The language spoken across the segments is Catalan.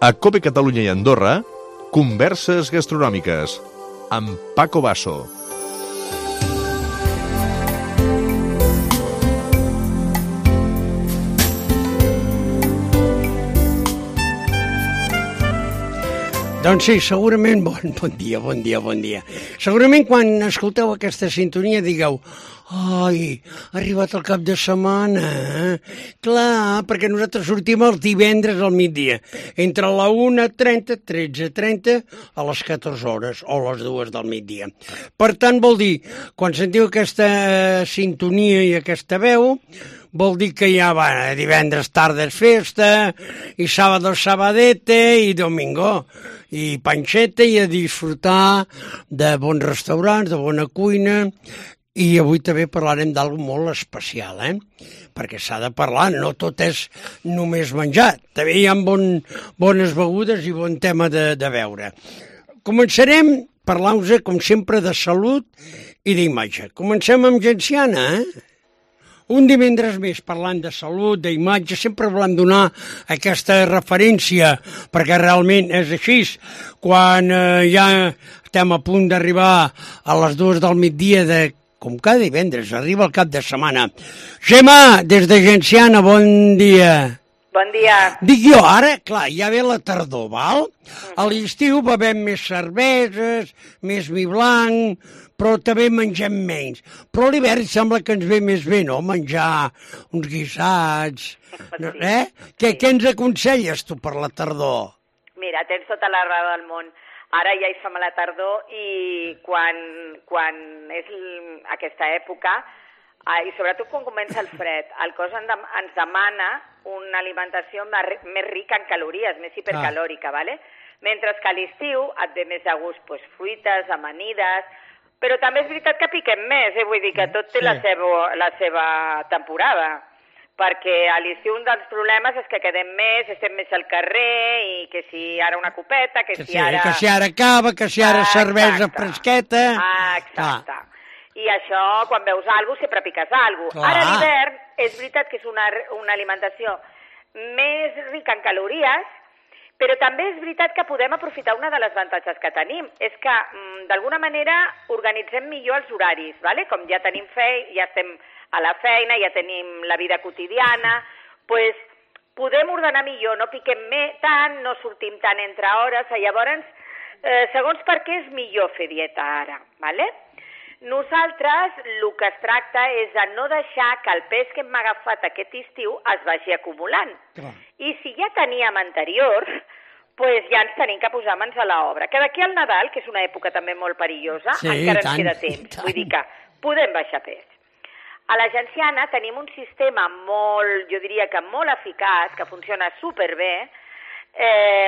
A COPE Catalunya i Andorra, Converses Gastronòmiques, amb Paco Basso. Doncs sí, segurament, bon dia. Segurament quan escolteu aquesta sintonia digueu ai, ha arribat el cap de setmana, Clar, perquè nosaltres sortim els divendres al migdia, entre la 1:30, 13:30 a les 14 hores o les 2 del migdia. Per tant, vol dir, quan sentiu aquesta sintonia i aquesta veu, vol dir que ja va, divendres tarda és festa, i sábado sabadete, i domingo, i panxeta, i a disfrutar de bons restaurants, de bona cuina, i avui també parlarem d'algo molt especial, perquè s'ha de parlar, no tot és només menjar, també hi ha bones begudes i bon tema de veure. Començarem parlant-vos, com sempre, de salut i d'imatge. Comencem amb Genciana, Un divendres més parlant de salut, d'imatge, sempre volem donar aquesta referència, perquè realment és així. Quan ja estem a punt d'arribar a les 2 del migdia, com cada divendres, arriba el cap de setmana. Gemma, des de Genciana, bon dia. Bon dia. Dic jo, ara, clar, ja ve la tardor, val? A l'estiu bevem més cerveses, més vi blanc, però també mengem menys. Però a l'hivern sembla que ens ve més bé, no?, menjar uns guisats, sí. Què ens aconselles tu per la tardor? Mira, tens tota la raó del món. Ara ja hi som a la tardor i quan és aquesta època, i sobretot quan comença el fred, el cos ens demana una alimentació més rica en calories, més hipercalòrica, ¿vale? Mentre que a l'estiu et ve més de gust fruites, amanides, però també és veritat que piquem més, vull dir que tot té la seva temporada, perquè a l'estiu un dels problemes és que quedem més, estem més al carrer, i que si ara una copeta, que si ara... Que si ara cava, que si ara cervesa fresqueta... Exacte. I això, quan veus alguna cosa, sempre piques alguna cosa. Ara a l'hivern és veritat que és una alimentació més rica en calories, però també és veritat que podem aprofitar una de les avantatges que tenim. És que, d'alguna manera, organitzem millor els horaris, ¿vale? Com ja tenim ja estem a la feina, ja tenim la vida quotidiana, doncs podem ordenar millor, no piquem tant, no sortim tant entre hores, llavors, segons per què és millor fer dieta ara, ¿vale? Nosaltres el que es tracta és de no deixar que el pes que hem agafat aquest estiu es vagi acumulant. I si ja teníem anterior, doncs ja ens tenim que posar mans a l'obra. Que d'aquí al Nadal, que és una època també molt perillosa, encara ens queda temps. Vull dir que podem baixar pes. A la Genciana tenim un sistema jo diria que molt eficaç, que funciona superbé,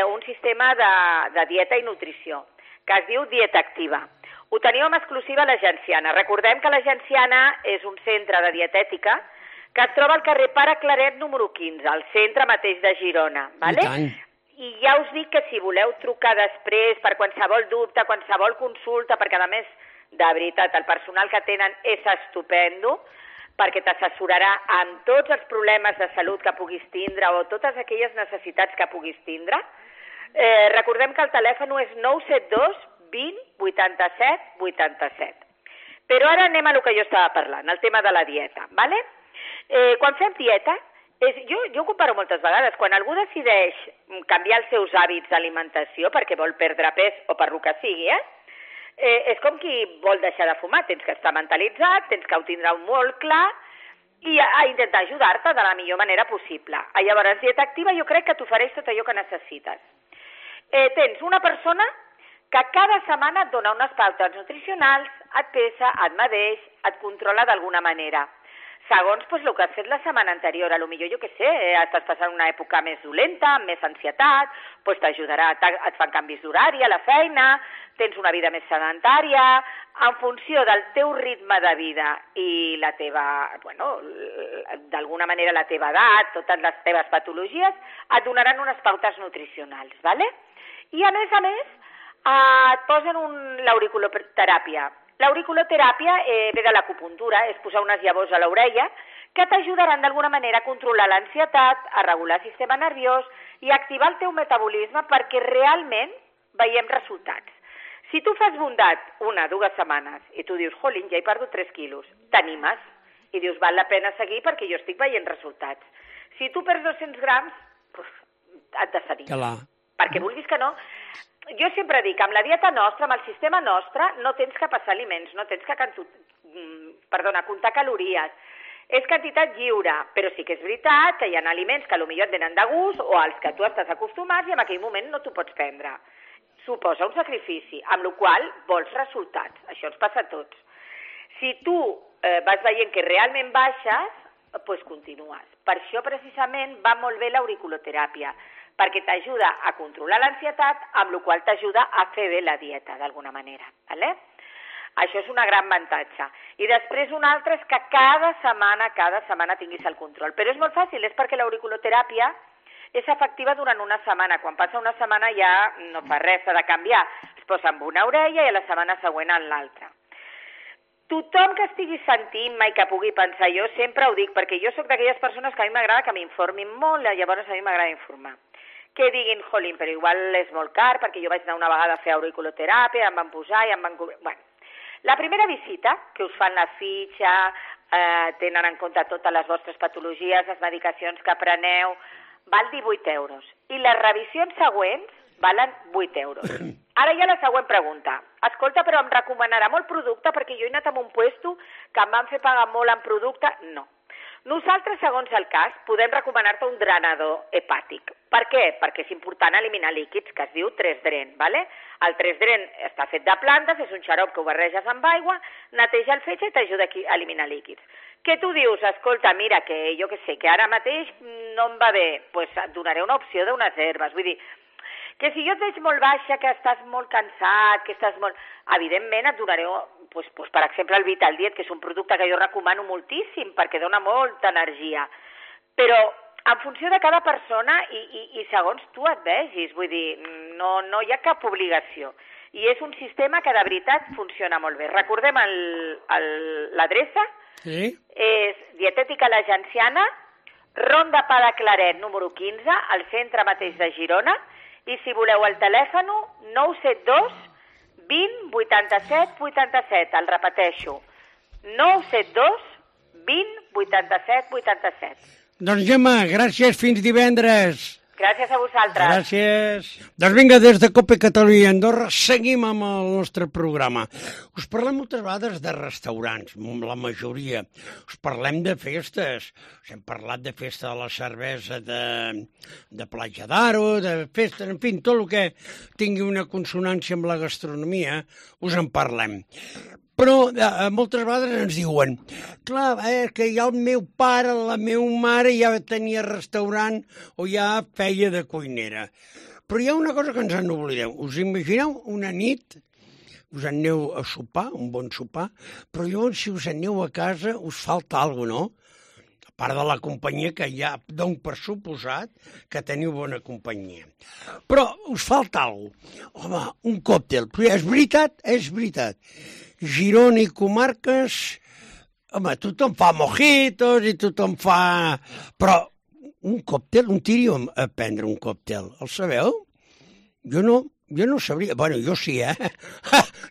un sistema de dieta i nutrició, que es diu Dieta Activa. Ho tenim en exclusiva a la Genciana. Recordem que la Genciana és un centre de dietètica que es troba al carrer Pare Claret número 15, al centre mateix de Girona. ¿Vale? I ja us dic que si voleu trucar després per qualsevol dubte, qualsevol consulta, perquè a més, de veritat, el personal que tenen és estupendo, perquè t'assessorarà amb tots els problemes de salut que puguis tindre o totes aquelles necessitats que puguis tindre. Recordem que el telèfon és 972 20 87 87. Però ara anem a lo que jo estava parlant, el tema de la dieta, ¿vale? Quan fem dieta, jo ho comparo moltes vegades, quan algú decideix canviar els seus hàbits d'alimentació perquè vol perdre pes o per lo que sigui, és com qui vol deixar de fumar, tens que estar mentalitzat, tens que ho tindre molt clar i a intentar ajudar-te de la millor manera possible. Llavors, Dieta Activa jo crec que t'ofereix tot allò que necessites. Tens una persona que cada setmana et dona unes pautes nutricionals, et pesa, et medeix, et controla d'alguna manera. Segons el que has fet la setmana anterior, potser jo què sé, estàs passant una època més dolenta, amb més ansietat, doncs t'ajudarà, et fan canvis d'horari a la feina, tens una vida més sedentària, en funció del teu ritme de vida i la teva, d'alguna manera la teva edat, totes les teves patologies, et donaran unes pautes nutricionals, ¿vale? I a més, et posen l'auriculoteràpia. L'auriculoteràpia ve de l'acupuntura, és posar unes llavors a l'orella que t'ajudaran d'alguna manera a controlar l'ansietat, a regular el sistema nerviós i a activar el teu metabolisme perquè realment veiem resultats. Si tu fas bondat 1 o 2 setmanes i tu dius, jolín, ja he perdut 3 quilos, t'animes i dius, val la pena seguir perquè jo estic veient resultats. Si tu perds 200 grams, et desanimes. Clar. Perquè vulguis que no... Jo sempre dic, amb la dieta nostra, amb el sistema nostre, no tens que passar aliments, no tens que comptar calories. És quantitat lliure, però sí que és veritat que hi ha aliments que potser et venen de gust o als que tu estàs acostumats i en aquell moment no t'ho pots prendre. Suposa un sacrifici, amb la qual vols resultats. Això ens passa a tots. Si tu vas veient que realment baixes, doncs continues. Per això precisament va molt bé l'auriculoteràpia, perquè t'ajuda a controlar l'ansietat, amb la qual t'ajuda a fer bé la dieta, d'alguna manera. ¿Vale? Això és una gran avantatge. I després un altre és que cada setmana tinguis el control. Però és molt fàcil, és perquè l'auriculoteràpia és efectiva durant una setmana. Quan passa una setmana ja no fa res, s'ha de canviar. Es posa amb una orella i a la setmana següent en l'altra. Tothom que estigui sentint-me i que pugui pensar, jo sempre ho dic, perquè jo sóc d'aquelles persones que a mi m'agrada que m'informin molt, llavors a mi m'agrada informar. Que diguin, jolín, però igual és molt car, perquè jo vaig anar una vegada a fer auriculoteràpia, em van posar i em van... Bueno, la primera visita, que us fan la fitxa, tenen en compte totes les vostres patologies, les medicacions que preneu, val 18 euros. I les revisions següents valen 8 euros. Ara hi ha la següent pregunta. Escolta, però em recomanarà molt producte perquè jo he anat a un puesto que em van fer pagar molt en producte? No. Nosaltres, segons el cas, podem recomanar-te un drenador hepàtic. Per què? Perquè és important eliminar líquids, que es diu 3-dren, ¿vale? El 3-dren està fet de plantes, és un xarop que ho barreges amb aigua, neteja el fetge i t'ajuda a eliminar líquids. Què tu dius? Escolta, mira, que jo que sé, que ara mateix no em va bé, doncs et donaré una opció d'unes herbes. Vull dir, que si jo et veig molt baixa, que estàs molt cansat, que estàs molt... Evidentment et donaré, per exemple, el Vital Diet, que és un producte que jo recomano moltíssim perquè dona molta energia. Però en funció de cada persona i segons tu et vegis, vull dir, no hi ha cap obligació. I és un sistema que de veritat funciona molt bé. Recordem l'adreça? Sí. És Dietètica La Genciana, Ronda Pa de Claret, número 15, al centre mateix de Girona. I si voleu el telèfon, 972 20 87 87. El repeteixo, 972 20 87 87. Doncs Gemma, gràcies, fins divendres. Gràcies a vosaltres. Gràcies. Doncs vinga, des de Cope Catalunya i Andorra seguim amb el nostre programa. Us parlem moltes vegades de restaurants, la majoria. Us parlem de festes. Us hem parlat de festa de la cervesa de Platja d'Aro, de festes, en fi, tot el que tingui una consonància amb la gastronomia, us en parlem. Però moltes vegades ens diuen, clar, que ja el meu pare, la meva mare ja tenia restaurant o ja feia de cuinera. Però hi ha una cosa que ens en oblidem. Us imagineu una nit, us aneu a sopar, un bon sopar, però llavors si us aneu a casa us falta alguna cosa, no? A part de la companyia que ja dono per suposat que teniu bona companyia. Però us falta alguna cosa. Home, un còctel. Però és veritat. Girona i comarques, home, tothom fa mojitos i tothom fa... Però un còctel, un tiro a prendre un còctel, el sabeu? Jo no sabria... Bueno, jo sí,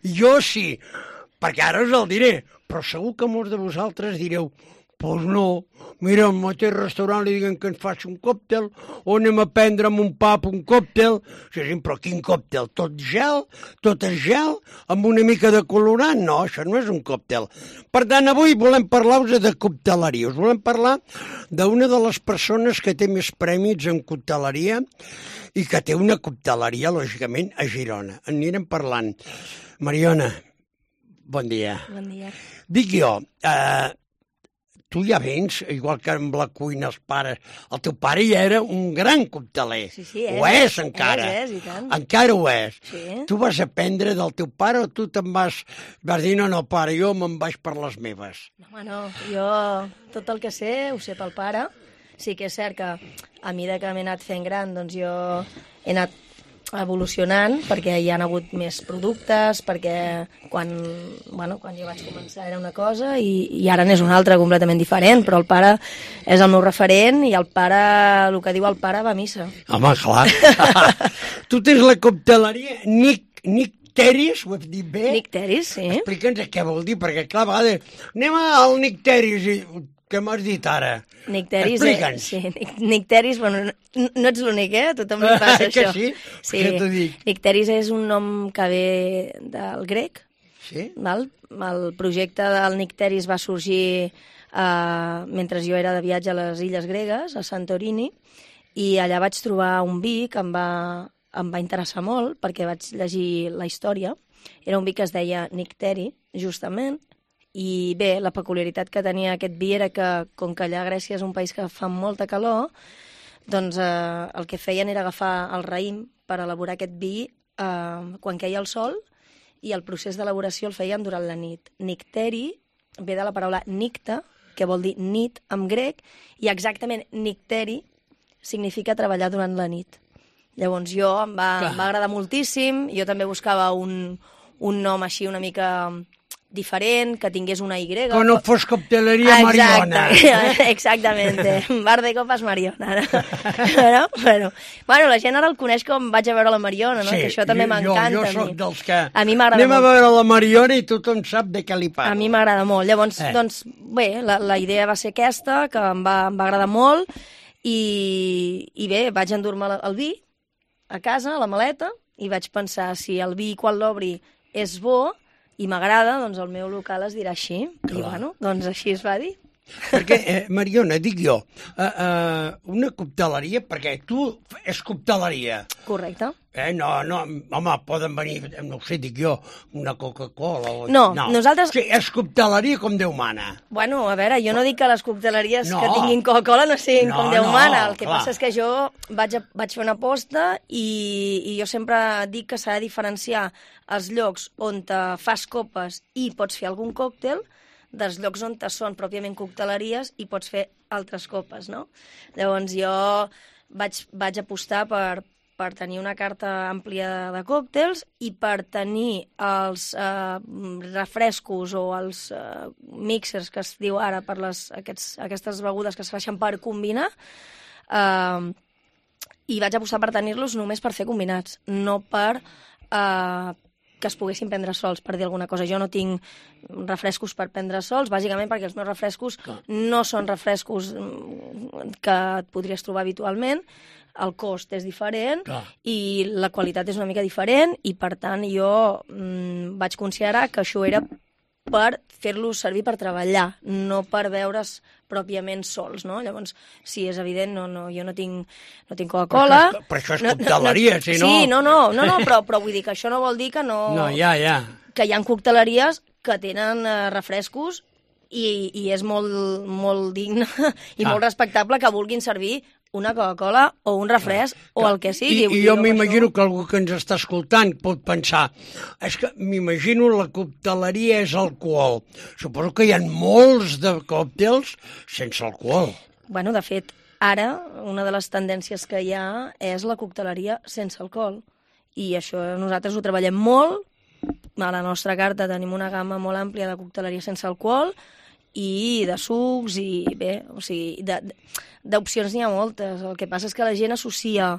Jo sí, perquè ara us el diré, però segur que molts de vosaltres direu pues no, mira, al mateix restaurant li diguen que ens faci un còctel o anem a prendre amb un pap un còctel. Sí, però quin còctel? Tot és gel, amb una mica de colorant? No, això no és un còctel. Per tant, avui volem parlar-vos de cocteleria. Us volem parlar d'una de les persones que té més prèmits en cocteleria i que té una cocteleria, lògicament, a Girona. En anirem parlant. Mariona, bon dia. Bon dia. Dic jo, tu ja vens, igual que amb la cuina els pares. El teu pare ja era un gran cocteler. Sí, ho és encara. És, i tant. Encara ho és. Sí. Tu vas aprendre del teu pare o tu vas dir, no, pare, jo me'n vaig per les meves? Home, no, jo tot el que sé ho sé pel pare. Sí que és cert que a mesura que m'he anat fent gran, doncs jo he anat evolucionant, perquè hi ha hagut més productes, perquè quan jo vaig començar era una cosa i ara n'és una altra completament diferent, però el pare és el meu referent i el que diu el pare va a missa. Home, clar. Tu tens la cocteleria Nicteris, ho has dit bé? Nicteris, sí. Explica'ns què vol dir, perquè clar, a vegades anem al Nicteris i què m'has dit ara? Nicteris, explica'ns. Sí, Nicteris, bueno, no ets l'únic, tot li passa que això. sí? Sí, Què t'ho dic? Nicteris és un nom que ve del grec, Sí? val? El projecte del Nicteris va sorgir mentre jo era de viatge a les illes gregues, a Santorini, i allà vaig trobar un vi que em va interessar molt perquè vaig llegir la història. Era un vi que es deia Nicteri, justament, i bé, la peculiaritat que tenia aquest vi era que, com que allà a Grècia és un país que fa molta calor, doncs el que feien era agafar el raïm per elaborar aquest vi quan queia el sol, i el procés d'elaboració el feien durant la nit. Nicteri ve de la paraula nicta, que vol dir nit en grec, i exactament nicteri significa treballar durant la nit. Llavors em va agradar moltíssim, jo també buscava un nom així una mica diferent, que tingués una Y. Que no fos cocteleria Mariona. Exactament, bar de copas Mariona. Bueno, la gent ara el coneix com vaig a veure la Mariona, no? Sí, Que això també m'encanta. Jo soc dels que a mi m'agrada anem molt. a veure la Mariona i tothom sap de què li parlo. A mi m'agrada molt. Llavors, doncs, bé, la idea va ser aquesta, que em va agradar molt, i bé, vaig endur-me el vi a casa, a la maleta, i vaig pensar, si el vi quan l'obri és bo i m'agrada, doncs el meu local es dirà així. Clar. I bueno, doncs així es va dir. Perquè, Mariona, dic jo, una cocteleria, perquè tu és cocteleria. Correcte. No, home, poden venir, no ho sé, dic jo, una Coca-Cola. No, nosaltres... Sí, és cocteleria com Déu mana. Bueno, a veure, jo no dic que les cocteleries que tinguin Coca-Cola no siguin com Déu mana. El que passa és que jo vaig fer una aposta i jo sempre dic que s'ha de diferenciar els llocs on te fas copes i pots fer algun còctel dels llocs on són pròpiament cocteleries i pots fer altres copes, no? Llavors jo vaig apostar per tenir una carta àmplia de còctels i per tenir els refrescos o els mixers que es diu ara per aquestes begudes que es facin per combinar, i vaig apostar per tenir-los només per fer combinats, no per que es poguessin prendre sols, per dir alguna cosa. Jo no tinc refrescos per prendre sols, bàsicament perquè els meus refrescos no són refrescos que et podries trobar habitualment, el cost és diferent i la qualitat és una mica diferent, i per tant jo vaig considerar que això era per fer-los servir per treballar, no per veure's pròpiament sols, no? Llavors, sí, és evident, jo no tinc Coca-Cola... Però això és cocteleria, si no... Sí, no, però vull dir que això no vol dir que no... No, ja. Que hi ha cocteleries que tenen refrescos i és molt digne i molt respectable que vulguin servir una Coca-Cola o un refresc o el que sigui. I jo m'imagino que algú que ens està escoltant pot pensar, és que m'imagino la cocteleria és alcohol. Suposo que hi ha molts de còctels sense alcohol. Bueno, de fet, ara una de les tendències que hi ha és la cocteleria sense alcohol. I això nosaltres ho treballem molt. A la nostra carta tenim una gamma molt àmplia de cocteleria sense alcohol i de sucs i bé, o sigui, d'opcions n'hi ha moltes. El que passa és que la gent associa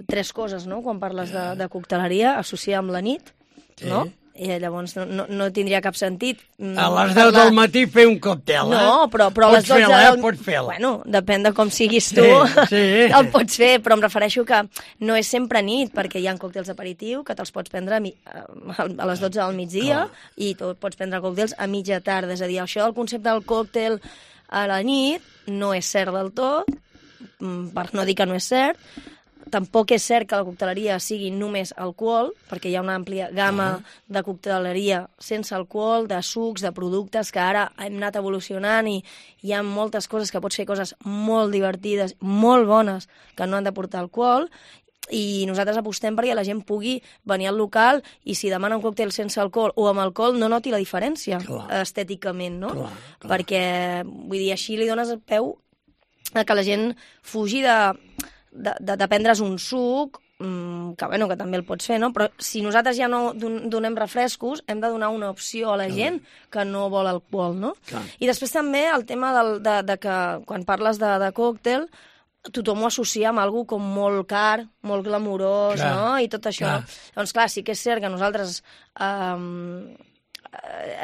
tres coses, no? Quan parles de cocteleria, associa amb la nit, no? I llavors no tindria cap sentit. A les 10 del matí fer un còctel, No, però a les 12 del... Pots fer-la. Bueno, depèn de com siguis tu, el pots fer, però em refereixo que no és sempre nit, perquè hi ha còctels aperitiu que te'ls pots prendre a les 12 del migdia i tu pots prendre còctels a mitja tarda. És a dir, això del concepte del còctel a la nit no és cert del tot, per no dir que no és cert. Tampoc és cert que la cocteleria sigui només alcohol, perquè hi ha una àmplia gamma de cocteleria sense alcohol, de sucs, de productes, que ara hem anat evolucionant i hi ha moltes coses que pots fer, coses molt divertides, molt bones, que no han de portar alcohol, i nosaltres apostem perquè la gent pugui venir al local i si demana un còctel sense alcohol o amb alcohol no noti la diferència estèticament, no? Clar. Perquè, vull dir, així li dones peu a que la gent fugi de prendre's un suc que també el pots fer, no? Però si nosaltres ja no donem refrescos, hem de donar una opció a la gent que no vol alcohol, no? Clar. I després també el tema de que quan parles de còctel, tothom ho associa amb algú com molt car, molt glamurós, clar, no? I tot això, clar. no? Doncs clar, sí que és cert que nosaltres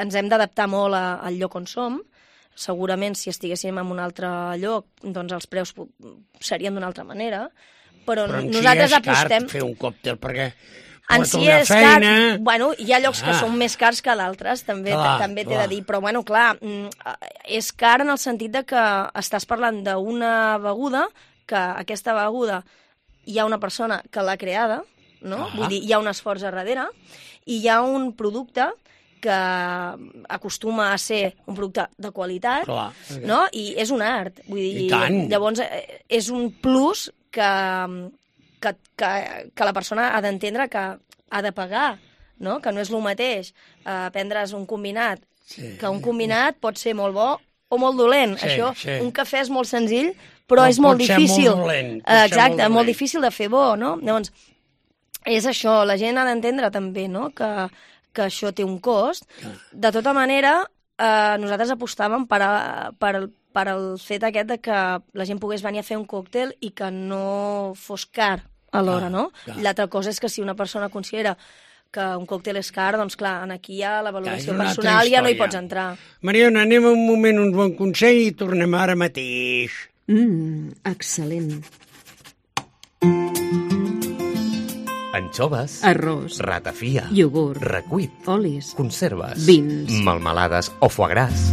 ens hem d'adaptar molt al lloc on som. Segurament, si estiguéssim en un altre lloc, doncs els preus serien d'una altra manera, però nosaltres apostem... fer un còctel, perquè en porta si una és feina... car, bueno, hi ha llocs que són més cars que d'altres, també t'he de dir, però bueno, clar, és car en el sentit de que estàs parlant d'una beguda, que aquesta beguda hi ha una persona que l'ha creada, no? Vull dir, hi ha un esforç a darrere, i hi ha un producte que acostuma a ser un producte de qualitat, no? I és un art. Vull dir, llavors és un plus que la persona ha d'entendre que ha de pagar, no? Que no és el mateix prendre's un combinat, que un combinat pot ser molt bo o molt dolent. Això, un cafè és molt senzill, però és molt difícil. Exacte, molt difícil de fer bo, no? Llavors, és això, la gent ha d'entendre també, no?, que això té un cost. De tota manera, nosaltres apostàvem per el fet aquest de que la gent pogués venir a fer un còctel i que no fos car alhora, no? L'altra cosa és que si una persona considera que un còctel és car, doncs clar, aquí ja la valoració personal ja no hi pots entrar. Mariona, anem un moment, un bon consell i tornem ara mateix. Excel·lent. Anxoves, arròs, ratafia, iogurt, recuit, olis, conserves, vins, melmelades o foie gras.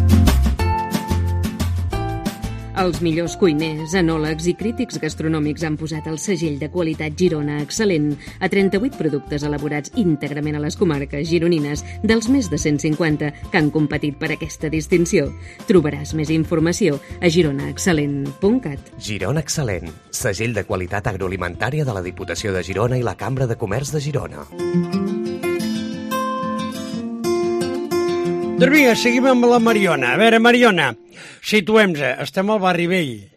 Els millors cuiners, enòlegs i crítics gastronòmics han posat el segell de qualitat Girona Excel·lent a 38 productes elaborats íntegrament a les comarques gironines dels més de 150 que han competit per aquesta distinció. Trobaràs més informació a gironaexcel·lent.cat. Girona Excel·lent, segell de qualitat agroalimentària de la Diputació de Girona i la Cambra de Comerç de Girona. Doncs vinga, seguim amb la Mariona. A veure, Mariona, situem-nos. Estem al barri vell.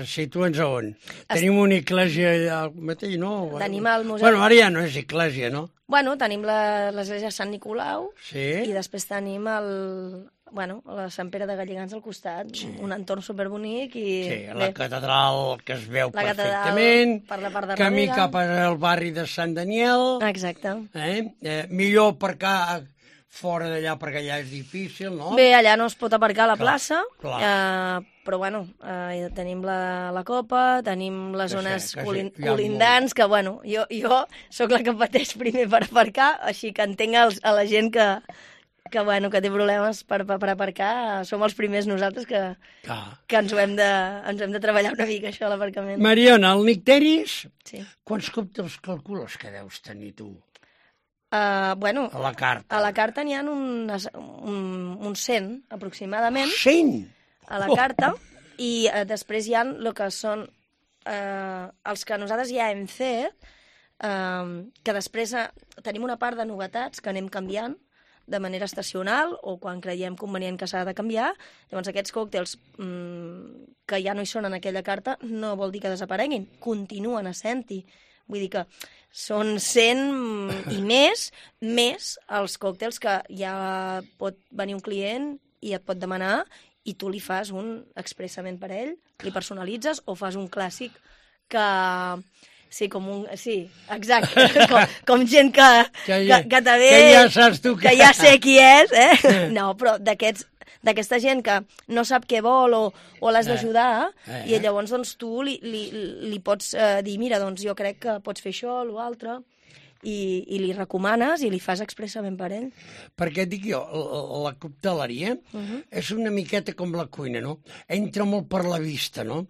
Situem-nos a on? Tenim una església allà al mateix, no? Tenim el museu... Bueno, ara ja no és església, no? Bueno, tenim l'església de Sant Nicolau i després tenim la Sant Pere de Galligans al costat, un entorn superbonic i... Sí, la catedral que es veu perfectament, per la part de camí cap al barri de Sant Daniel... Exacte. Millor aparcar fora d'allà perquè allà és difícil, no? Bé, allà no es pot aparcar a la plaça, però bueno, tenim la Copa, tenim les zones colindants, que bueno, jo sóc la que pateix primer per aparcar, així que entenc a la gent que té problemes per aparcar, som els primers nosaltres que ens ho hem de treballar una mica, això, l'aparcament. Mariona, el Nicteris, quants còctels calcules que deus tenir tu? A la carta. A la carta n'hi ha uns 100, aproximadament. 100? A la carta, i després hi ha el que són els que nosaltres ja hem fet, que després tenim una part de novetats que anem canviant de manera estacional o quan creiem convenient que s'ha de canviar. Llavors aquests còctels que ja no hi són en aquella carta no vol dir que desapareguin, continuen essent-hi. Vull dir que són 100 i més els còctels que ja pot venir un client i et pot demanar i tu li fas un expressament per ell, li personalitzes o fas un clàssic que... Sí, exacte, com gent que te ve... Que ja saps tu que ja sé qui és, No, però d'aquesta gent que no sap què vol o l'has d'ajudar, i llavors doncs, tu li pots dir, mira, doncs jo crec que pots fer això o l'altre, i li recomanes i li fas expressament per ell. Perquè dic jo, la cocteleria és una miqueta com la cuina, no? Entra molt per la vista, no?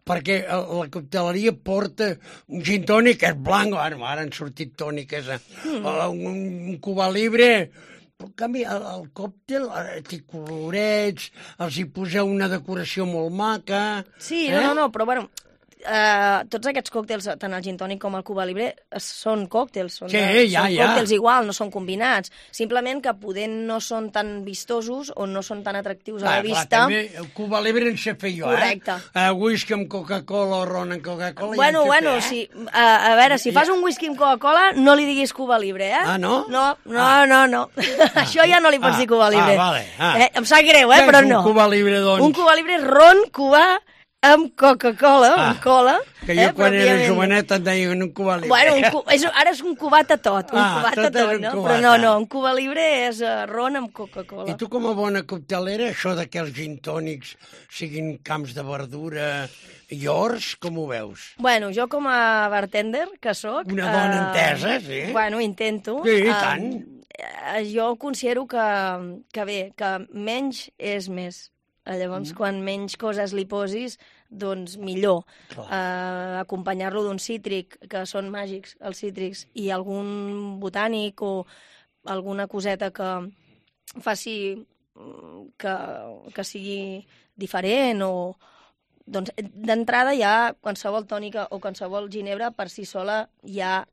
Perquè la cocteleria porta un gin tònic que és blanc, ara han sortit tòniques, un Cuba Libre... Però, en canvi, el còctel té colorets, els hi poseu una decoració molt maca... Sí, no, però bueno, tots aquests còctels, tant el gin tònic com el Cuba Libre, són còctels. Són còctels igual, no són combinats. Simplement que poder no són tan vistosos o no són tan atractius a la vista. També el Cuba Libre en sé fer jo, correcte. Whisky amb Coca-Cola o ron amb Coca-Cola. Bueno, sí. A veure, si fas un whisky amb Coca-Cola, no li diguis Cuba Libre, eh? Ah, no? No. Això ja no li pots dir Cuba Libre. Vale. Em sap greu, però no. Un Cuba Libre, doncs? Un Cuba Libre és ron cubà amb Coca-Cola, amb cola. Que jo quan era jovenet et deien un Cuba Libre. Bueno, ara és un cubat a tot, no? Però no, un Cuba Libre és ron amb Coca-Cola. I tu com a bona coctelera, això que els gin tònics siguin camps de verdura i horts, com ho veus? Bueno, jo com a bartender, que sóc... Una dona entesa, sí? Bueno, intento. Sí, tant. Jo considero que bé, que menys és més. Llavors, quan menys coses li posis, doncs millor. Acompanyar-lo d'un cítric, que són màgics, els cítrics, i algun botànic o alguna coseta que faci que sigui diferent o... Doncs d'entrada ja qualsevol tònica o qualsevol ginebra per si sola ja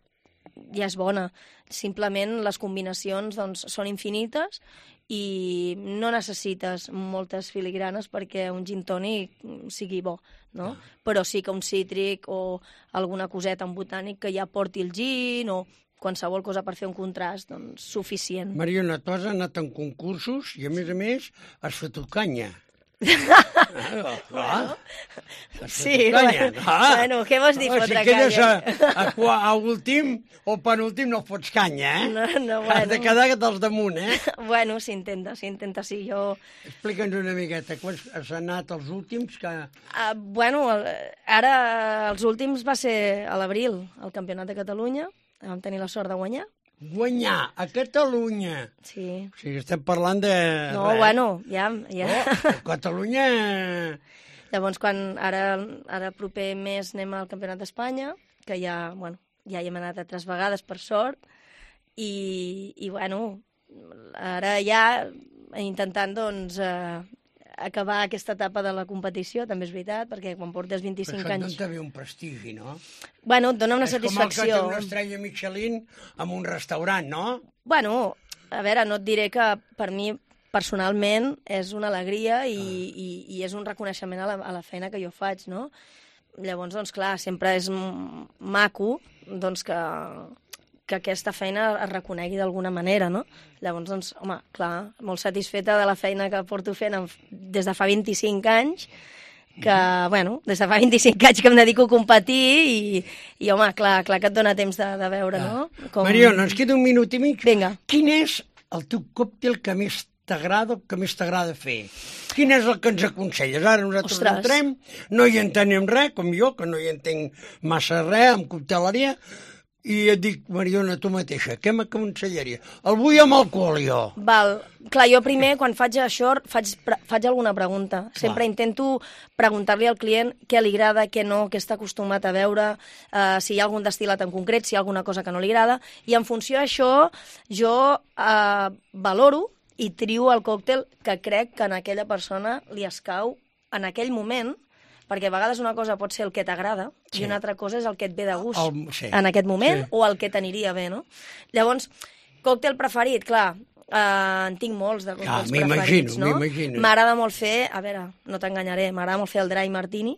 és bona. Simplement les combinacions doncs, són infinites i no necessites moltes filigranes perquè un gin tònic sigui bo, no? Però sí que un cítric o alguna coseta, un botànic que ja porti el gin o qualsevol cosa per fer un contrast, doncs suficient. Mariona, tu has anat en concursos i a més has fet canya. Sí, bueno, què vols dir fotre canya? Si quedes a últim o penúltim no fots canya, eh? No, bueno. Has de quedar dels damunt, eh? Bueno, s'intenta, sí, jo... Explica'ns una miqueta, quants has anat els últims que... Bueno, ara els últims va ser a l'abril, al Campionat de Catalunya, vam tenir la sort de guanyar. Guanyar a Catalunya. Sí. O sigui, estem parlant de... No, bueno, ja. Catalunya... Llavors, quan ara proper mes anem al Campionat d'Espanya, que ja hi hem anat 3 vegades, per sort, i bueno, ara ja intentant, doncs, acabar aquesta etapa de la competició, també és veritat, perquè quan portes 25 anys... Però això et dona un prestigi, no? Bueno, et dona una satisfacció. És com el que té una estrella Michelin en un restaurant, no? Bueno, a veure, no et diré que per mi personalment és una alegria i és un reconeixement a la feina que jo faig, no? Llavors, doncs, clar, sempre és maco doncs, que aquesta feina es reconegui d'alguna manera, no? Llavors, doncs, home, clar, molt satisfeta de la feina que porto fent des de fa 25 anys, que, bueno, des de fa 25 anys que em dedico a competir i home, clar que et dona temps de veure, no? Mariona, ens queda un minut i mig. Vinga. Quin és el teu còctel que més t'agrada fer? Quin és el que ens aconselles? Ara nosaltres entrem, no hi entenem res, com jo, que no hi entenc massa res, amb cocteleria, i et dic, Mariona, tu mateixa, què m'aconsellaria? El vull amb alcohol, jo. Val. Clar, jo primer, quan faig això, faig alguna pregunta. Sempre intento preguntar-li al client què li agrada, què no, què està acostumat a veure, si hi ha algun destil·lat en concret, si hi ha alguna cosa que no li agrada, i en funció d'això jo valoro i trio el còctel que crec que a aquella persona li escau en aquell moment, perquè a vegades una cosa pot ser el que t'agrada i una altra cosa és el que et ve de gust en aquest moment o el que t'aniria bé, no? Llavors, còctel preferit, clar, en tinc molts de còctels preferits, no? M'imagino. M'agrada molt fer, a veure, no t'enganyaré, m'agrada molt fer el dry martini,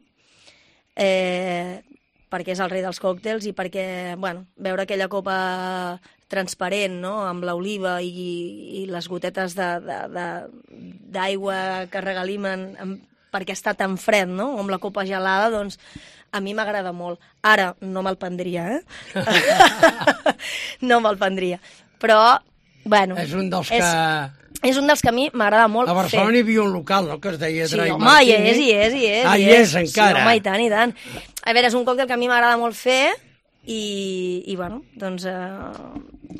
perquè és el rei dels còctels i perquè, bueno, veure aquella copa transparent, no?, amb l'oliva i les gotetes d'aigua que regalimen perquè està tan fred, no?, amb la copa gelada, doncs a mi m'agrada molt. Ara, no me'l prendria, No me'l prendria. Però, bueno... És un dels que... És un dels que a mi m'agrada molt fer. A Barcelona hi havia un local, no?, que es deia Dry Martini. Sí, home, hi és. Hi és, encara. Sí, home, i tant. A veure, és un còctel que a mi m'agrada molt fer i bueno, doncs a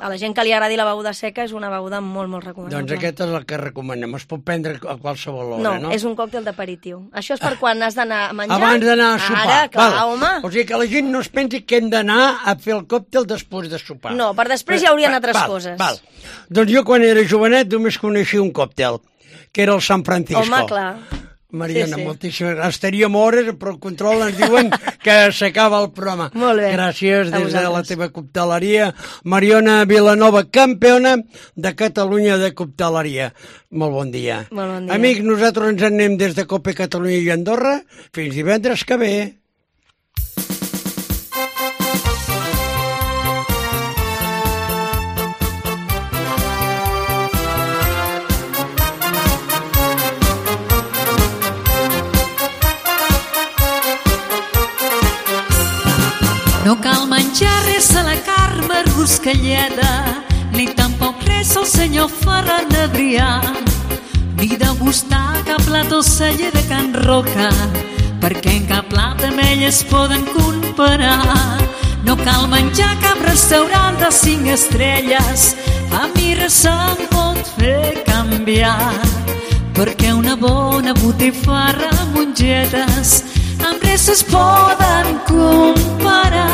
la gent que li agradi la beguda seca és una beguda molt, molt recomanable. Doncs aquest és el que recomanem. Es pot prendre a qualsevol hora, no? No, és un còctel d'aperitiu. Això és per quan has d'anar a menjar. Abans d'anar a sopar. Ara, clar, home. O sigui que la gent no es pensi que hem d'anar a fer el còctel després de sopar. No, per després hi haurien altres coses. Val. Doncs jo quan era jovenet només coneixia un còctel, que era el San Francisco. Home, clar. Mariona, moltíssimes gràcies. Estaríem hores, però el control ens diuen que s'acaba el programa. Molt bé. Gràcies des de la teva cocteleria. Mariona Vilanova, campiona de Catalunya de cocteleria. Molt bon dia. Molt bon dia. Amics, nosaltres ens anem des de Cope Catalunya i Andorra. Fins divendres que ve. No cal menjar res a la Carme Ruscalleda, ni tampoc res al senyor Ferran Adrià, ni degustar cap plat o celler de Can Roca, perquè en cap plat amb ell es poden comparar. No cal menjar cap restaurant de 5 estrelles, a mi res se'm pot fer canviar, perquè una bona botifarra amb mongetes amb res es poden comparar.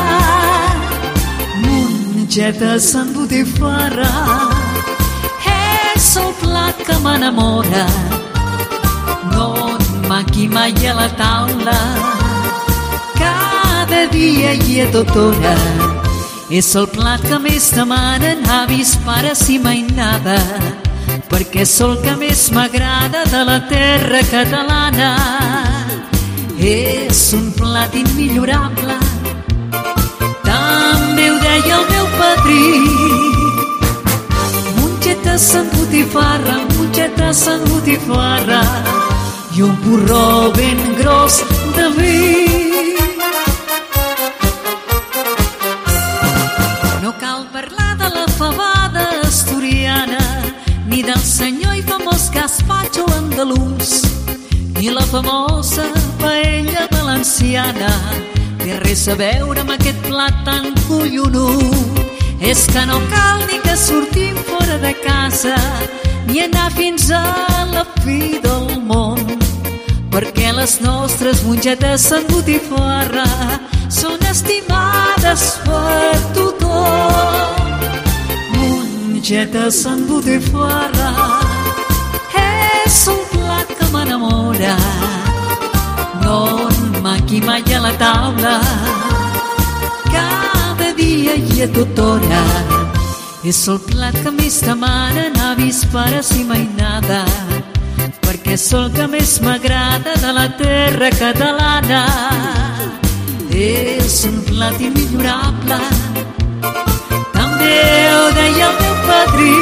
Mongetes amb botifarra és el plat que m'enamora. No em manqui mai a la taula, cada dia i a tota hora. És el plat que més demanen avis, pares i mainada, perquè és el que més m'agrada de la terra catalana. És un plat immillorable, també ho deia el meu padrí. Mongetes amb botifarra, mongetes amb botifarra i un porró ben gros de vi. No cal parlar de la fabada asturiana, ni del senyor i famós gazpacho andalús, ni la famosa paella valenciana. Té res a veure amb aquest plat tan collonut. És que no cal ni que sortim fora de casa, ni anar fins a la fi del món, perquè les nostres mongetes amb botifarra són estimades per tothom. Mongetes amb botifarra és un plat que m'enamora. No em manqui mai a la taula, cada dia i a tota hora. És el plat que més demanen avis, pares i mainada, perquè és el que més m'agrada de la terra catalana. És un plat immillorable, també ho deia el meu padrí.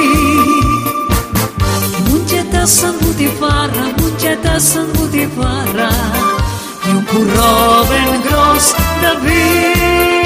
Mongetes amb botifarra, mongetes amb botifarra i un porró ben gros de vi.